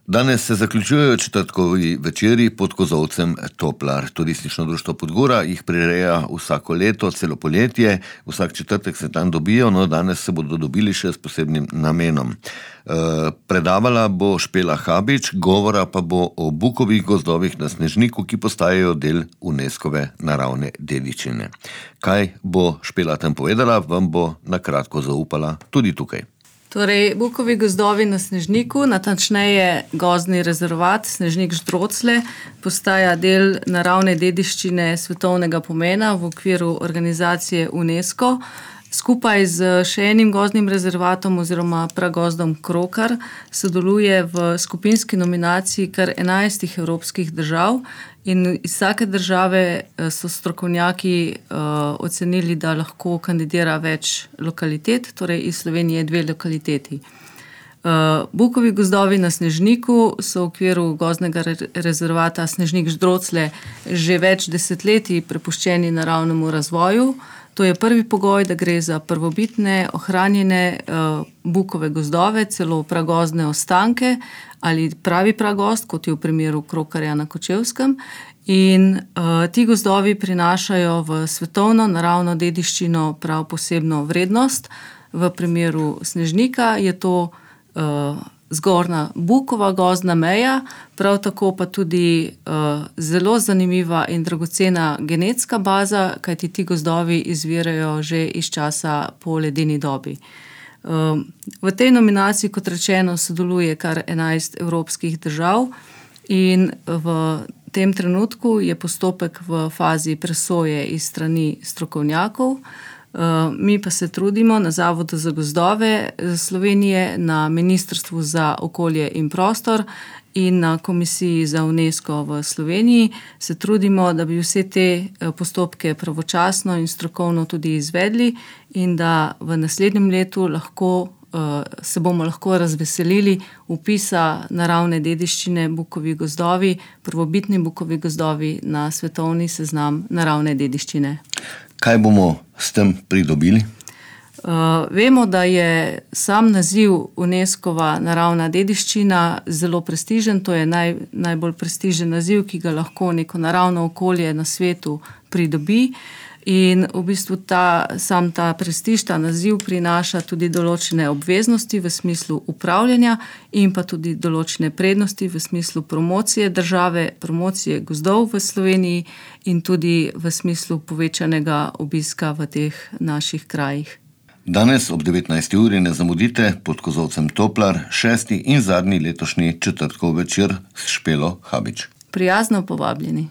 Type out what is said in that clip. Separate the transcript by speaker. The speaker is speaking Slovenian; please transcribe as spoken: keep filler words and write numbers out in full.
Speaker 1: Danes se zaključujejo četrtkovi večeri pod kozolcem Toplar. Turistično društvo Podgora jih prireja vsako leto, celo poletje. Vsak četrtek se tam dobijo, no danes se bodo dobili še s posebnim namenom. E, predavala bo Špela Habič, govora pa bo o bukovih gozdovih na Snežniku, ki postajajo del UNESCOve naravne dediščine. Kaj bo Špela tam povedala, vam bo na kratko zaupala tudi tukaj.
Speaker 2: Torej, bukovi gozdovi na Snežniku, natančneje gozdni rezervat Snežnik-Ždrocle, postaja del naravne dediščine svetovnega pomena v okviru organizacije UNESCO. Skupaj z še enim gozdnim rezervatom oziroma pragozdom Krokar sodeluje v skupinski nominaciji kar enajstih evropskih držav in iz vsake države so strokovnjaki uh, ocenili, da lahko kandidira več lokalitet, torej iz Slovenije dve lokaliteti. Uh, bukovi gozdovi na Snežniku so v okviru gozdnega re- rezervata Snežnik-Ždrocle že več desetletij prepuščeni naravnemu razvoju. To je prvi pogoj, da gre za prvobitne, ohranjene uh, bukove gozdove, celo pragozdne ostanke ali pravi pragozd, kot je v primeru Krokarja na Kočevskem. In uh, ti gozdovi prinašajo v svetovno naravno dediščino prav posebno vrednost. V primeru Snežnika je to uh, zgornja bukova gozdna meja, prav tako pa tudi uh, zelo zanimiva in dragocena genetska baza, kajti ti gozdovi izvirajo že iz časa po ledeni dobi. Uh, v tej nominaciji, kot rečeno, sodeluje kar enajst evropskih držav in v tem trenutku je postopek v fazi presoje iz strani strokovnjakov. Mi pa se trudimo na Zavodu za gozdove Slovenije, na Ministrstvu za okolje in prostor in na Komisiji za UNESCO v Sloveniji se trudimo, da bi vse te postopke pravočasno in strokovno tudi izvedli in da v naslednjem letu lahko, se bomo lahko razveselili vpisa naravne dediščine bukovi gozdovi, prvobitni bukovi gozdovi na svetovni seznam naravne dediščine.
Speaker 1: Kaj bomo s tem pridobili?
Speaker 2: Uh, vemo, da je sam naziv UNESCO-va naravna dediščina zelo prestižen. To je naj, najbolj prestižen naziv, ki ga lahko neko naravno okolje na svetu pridobi. In v bistvu ta, sam ta prestiž, ta naziv prinaša tudi določene obveznosti v smislu upravljanja in pa tudi določene prednosti v smislu promocije države, promocije gozdov v Sloveniji in tudi v smislu povečanega obiska v teh naših krajih.
Speaker 1: Danes ob devetnajsti uri ne zamudite pod kozolcem Toplar, šesti in zadnji letošnji četrtkov večer s Špelo Habič.
Speaker 2: Prijazno povabljeni.